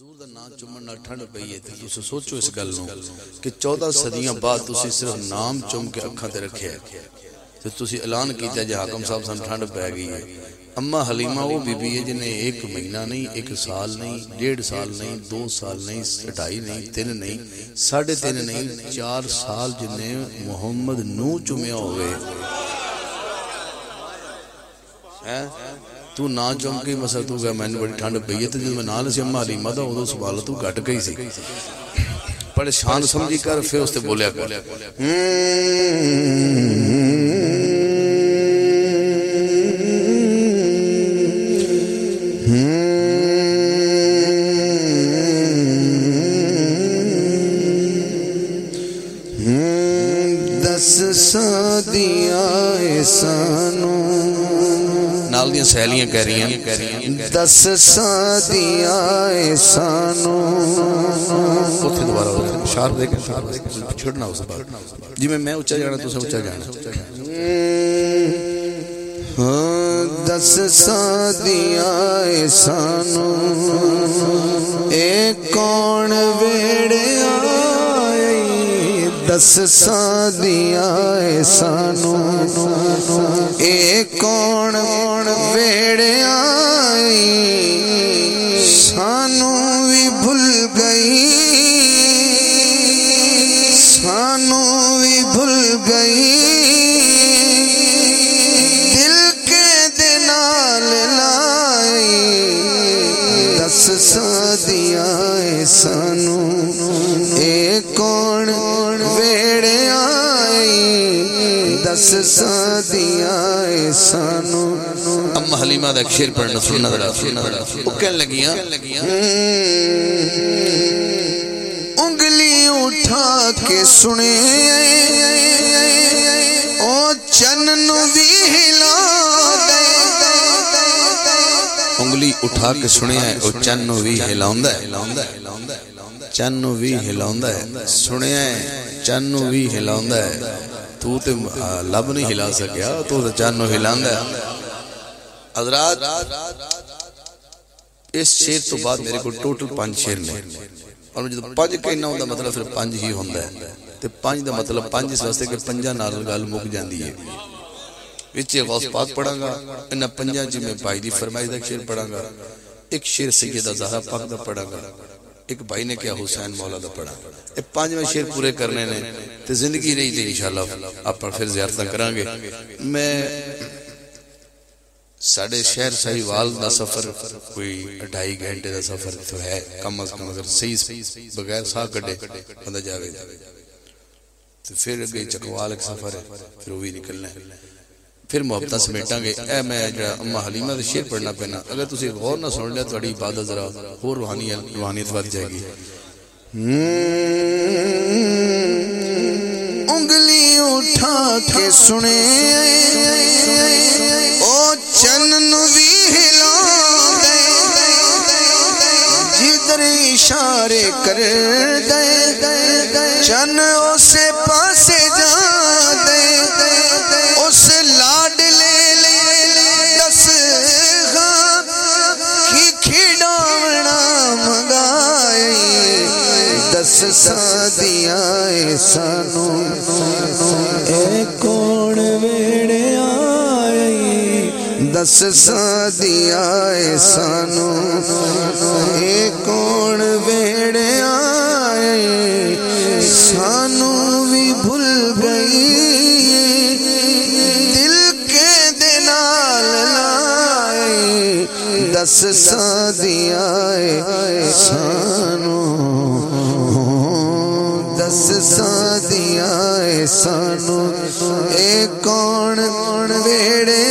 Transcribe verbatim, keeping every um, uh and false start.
حضور دا نام چومن نال ٹھنڈ پئی ہے، تے تساں سوچو اس گل نوں کہ چودہ صدیاں بعد تساں صرف نام چوم کے اکھاں تے رکھیا ہے، تے تساں اعلان کیتا جے حاکم صاحب، سانوں ٹھنڈ پے گئی ہے۔ اما حلیمہ وہ بی بی ہے جنہیں ایک مہینہ نہیں، ایک سال نہیں، ڈیڑھ سال نہیں، دو سال نہیں، ڈھائی نہیں، تین نہیں، ساڑھے تین نہیں، چار سال جنہیں محمد نو چومیا ہوئے۔ ہیں؟ تو نہ چوم کے مسا تو گیا، مینوں بڑی ٹھنڈ پئی ہے۔ تے جدوں میں نال سی اما حلیمہ دا، اودوں سوال تو گھٹ گئی سی۔ پریشان سمجھی کر، پھر اس تے بولیا کر۔ دس سادیاں اے سانوں۔ نال دیاں سہیلیاں کہہ رہیاں۔ دس سادیاں اے سانوں۔ اتھے دوبارہ ہو جائے۔ اشار دے کے چھڑنا اس بات۔ جی میں، میں اچا جانا، تساں اچا جانا۔ ہاں، دس سادیاں اے سانوں۔ اے کون ویڑے آئی؟ دس سادیاں اے سانوں۔ اے کون ویڑے آئی؟ سانوں وی بھل گئی، سانوں وی بھل گئی۔ دل کے دے نال لائی، دس سادیاں اے سانوں۔ اے کون ویڑے آئی، دس سادیاں اے سانوں۔ ام حلیمہ دا ایک شعر پڑھنا، سننا ذرا، سننا ذرا۔ وہ کہن لگیاں، انگلی اٹھا کے سنے، او چن نو وی ہلا دے۔ انگلی اٹھا کے سنیا ہے، او چن نو وی ہلاوندا ہے۔ چن نو وی ہلاوندا ہے۔ سنیا ہے، چن نو وی ہلاوندا ہے۔ تو تے، آ، لب نہیں ہلا سکیا، تو تے چن نو ہلاندا ہے۔ حضرات، اس شعر تو بعد میرے کول ٹوٹل پنج شعر نے، اور میں جدوں پنج کہنا ہوندا، مطلب صرف پنج ہی ہوندا ہے۔ تے پنج دا مطلب پنج اس واسطے کہ پنجاں نال گل مک جاندی ہے۔ وچ غوث پاک پڑھاں گا، انہاں پنجاں چ میں بھائی دی فرمائش دا شعر پڑھاں گا، ایک شعر سیدہ زہرا پاک دا پڑھاں گا، ایک بھائی نے کہا حسین مولا دا پڑھاں۔ اے پنجویں شعر پورے کرنے نے، تے زندگی رہی تے انشاءاللہ آپاں پھر زیارتاں کراں گے۔ میں ساڈے شہر ساہیوال دا سفر کوئی اڑھائی گھنٹے دا سفر تو ہے، کم از کم اگر صحیح بغیر ساہ کڈے بندہ جاوے تے پھر اگے چکوال ایک سفر ہے، پھر وہ بھی نکلنا ہے۔ پھر محبتاں سمیٹاں گے۔ اے میں جڑا اما حلیمہ دے شعر پڑھنا پینا، اگر تسی غور نہ سن لیا، تہاڈی عبادت ذرا ہور روحانی، روحانیت ود جائے گی۔ انگلی اٹھا کے سنے، او چن نو وی ہلا دے، جدھر اشارے کر دے، چن اسے پاسے جا دے، اس لاڈلے لئی دس گاں کی کھیڈاونا منگائی۔ دس سادیاں اے سانوں، اے کون ویڑے آئی؟ دس سادیاں اے سانوں، اے کون ویڑے آئی؟ سانوں وی بھل گئی، دل کے دے نال لائی۔ دس سادیاں اے سانوں، دس سادیاں اے سانوں، اے کون ویڑے